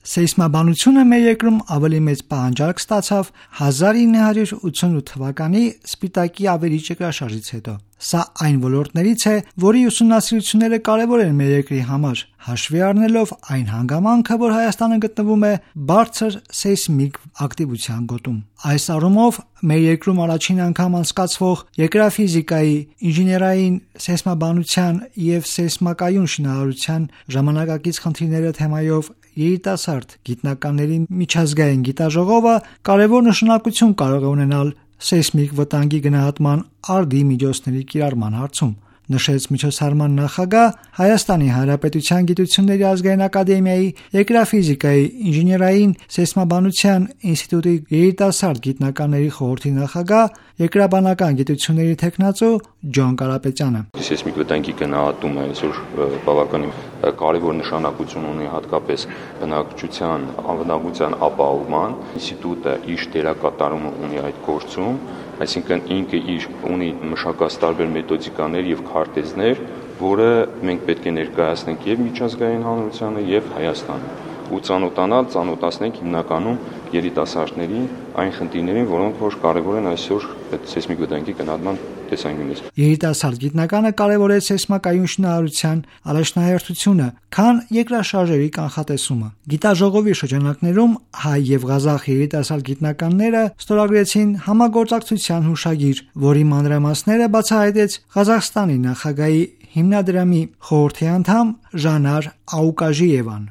Սեյսմաբանությունը մեր երկրում ավելի մեծ պահանջարկ ստացավ 1988 թվականի Սպիտակի ավերիչ երկրաշարժից հետո։ Սա այն ոլորտներից է, որի ուսումնասիրությունները կարևոր են մեր երկրի համար, հաշվի առնելով այն հանգամանքը, որ Հայաստանը գտնվում է բարձր սեյսմիկ ակտիվության գոտում։ Այս առումով մեր երկրում առաջին անգամ անցկացվող երկրաֆիզիկայի, ինժեներային սեյսմաբանության և սեյսմակայուն շինարարության ժամանակակից խնդիրները թեմայով երիտասարդ գիտնականների միջազգային գիտաժողովը կարևոր նշանակություն կարող է ունենալ սեյսմիկ վտանգի գնահատման արդի միջոցների կիրառման հարցում, նշեց միջոցառման նախագահ Հայաստանի Հանրապետության Գիտությունների ազգային ակադեմիայի Երկրաֆիզիկայի, ինժեներային սեյսմաբանության ինստիտուտի երիտասարդ գիտնականների խորհրդի նախագահ, երկրաբանական գիտությունների թեկնածու Ջոն Կարապետյանը։ Սեյսմիկ վտանգի գնահատումը այսօր բավականին կարևոր նշանակություն ունի հատկապես բնակչության անվտանգության ապահովման։ Ինստիտուտը իր դերակատարումը ունի այդ գործում, այսինքն ինքը իր ունի մշակած տարբեր մեթոդիկաներ եւ քարտեզներ, որը մենք պետք է ներկայացնենք եւ միջազգային հանրությանը եւ Հայաստանը ու ծանոթացնենք հիմնականում երիտասարդներին այն խնդիրներին, որոնք որ կարևոր են այսօր այդ սեյսմիկ վտանգի գնահատման տեսանկյունից։ Երիտասարդ գիտնականը կարևորեց սեյսմակայուն շինարարության առաջնահերթությունը, քան երկրաշարժերի կանխատեսումը։ Գիտաժողովի շրջանակներում հայ եւ ղազախ երիտասարդ գիտնականները ստորագրեցին համագործակցության հուշագիր, որի մանրամասները բացահայտեց Ղազախստանի նախագահի հիմնադրամի խորհրդի անդամ Ժանար Աուկաժիևան։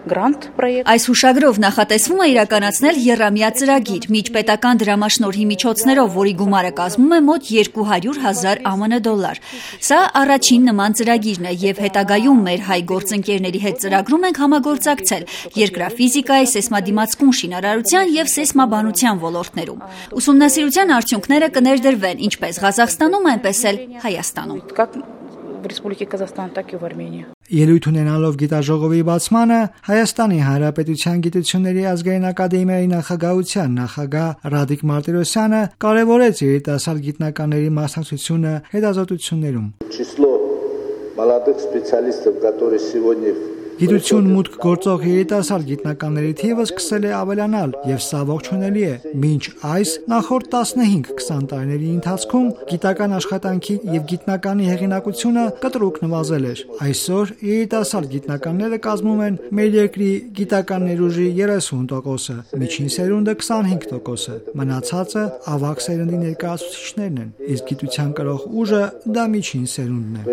Այս հուշագրով նախատեսվում է իրականացնել եռամյա ծրագիր միջպետական դրամաշնորհի միջոցներով, որի գումարը կազմում է մոտ 200,000 ԱՄՆ դոլար։ Սա առաջին նման ծրագիրն է եւ հետագայում մեր հայ գործընկերների հետ ծրագրում ենք համագործակցել երկրաֆիզիկայի, սեյսմադիմացկուն շինարարության եւ սեյսմաբանության ոլորտներում։ Ուսումնասիրության արդյունքները կներդրվեն ինչպես Ղազախստանում, այնպես էլ Հայաստանում։ Ելույթ ունենալով գիտաժողովի բացմանը Հայաստանի Հանրապետության Գիտությունների ազգային ակադեմիայի նախագահության նախագահ Ռադիկ Մարտիրոսյանը կարևորեց երիտասարդ գիտնականների մասնակցությունը հետազոտություններում։ Գիտություն մուտք գործող երիտասարդ գիտնականների թիվը սկսել է ավելանալ եւ սա ողջունելի է։ Մինչ այս նախորդ 15-20 տարիների ընթացքում գիտական աշխատանքի եւ գիտնականի հեղինակությունը կտրուկ նվազել էր։ Այսօր երիտասարդ գիտնականները կազմում են մեր երկրի գիտական ներուժի 30%-ը, միջին սերունդը 25%-ը, մնացածը ավագ սերնդի ներկայացուցիչներն են, իսկ գիտության կրող ուժը դա միջին սերունդն է։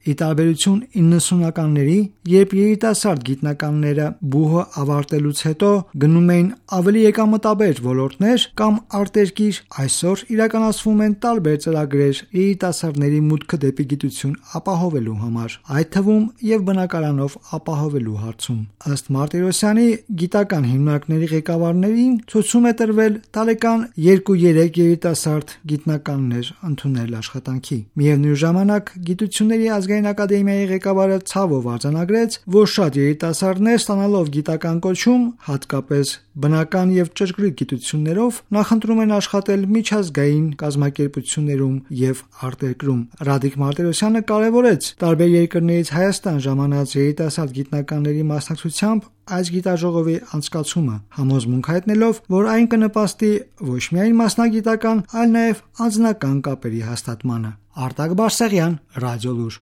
Ի տարբերություն 90-ականների, երբ երիտասարդ գիտնականները բուհը ավարտելուց հետո գնում էին ավելի եկամտաբեր ոլորտներ կամ արտերկիր, այսօր իրականացվում են տարբեր ծրագրեր երիտասարդների մուտքը դեպի գիտություն ապահովելու համար, այդ թվում եւ բնակարանով ապահովելու հարցում։ Ըստ Մարտիրոսյանի, գիտական հիմնարկների ղեկավարներին ցուցում է տրվել տարեկան 2-3 երիտասարդ գիտնականներ ընդունել աշխատանքի։ Միևնույն ժամանակ գիտությունների ազգային ակադեմիայի ղեկավարը ցավով արձանագրեց, որ շատ երիտասարդներ ստանալով գիտական կոչում, հատկապես բնական եւ ճշգրիտ գիտություններով, նախընտրում են աշխատել միջազգային կազմակերպություններում եւ արտերկրում։ Ռադիկ Մարտիրոսյանը կարևորեց տարբեր երկրներից Հայաստան ժամանած երիտասարդ գիտնականների մասնակցությամբ այս գիտաժողովի անցկացումը, համոզմունք հայտնելով, որ այն կնպաստի ոչ միայն մասնագիտական, այլ նաեւ անձնական կապերի հաստատմանը։ Արտակ Բարսեղյան, Ռադիոլուր։